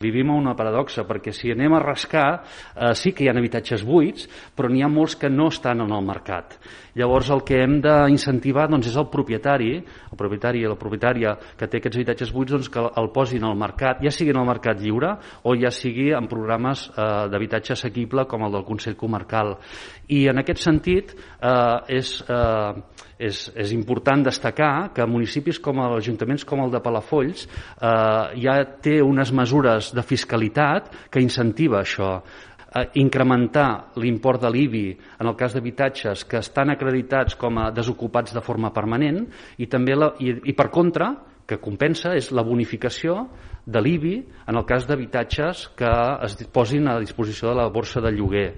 Vivim a una paradoxa, perquè si anem a rascar, sí que hi ha habitatges buits, però n'hi ha molts que no estan en el mercat. Llavors el que hem d'incentivar és el propietari i la propietària que té aquests habitatges buits que el posin al mercat, ja sigui en el mercat lliure o ja sigui en programes d'habitatge assequible com el del Consell Comarcal. I en aquest sentit és important destacar que municipis com ajuntaments com el de Palafolls ja té unes mesures de fiscalitat que incentiva això. Incrementar l'import de l'IBI en el cas d'habitatges que estan acreditats com a desocupats de forma permanent i també i per contra que compensa és la bonificació de l'IBI en el cas d'habitatges que es posin a disposició de la borsa de lloguer.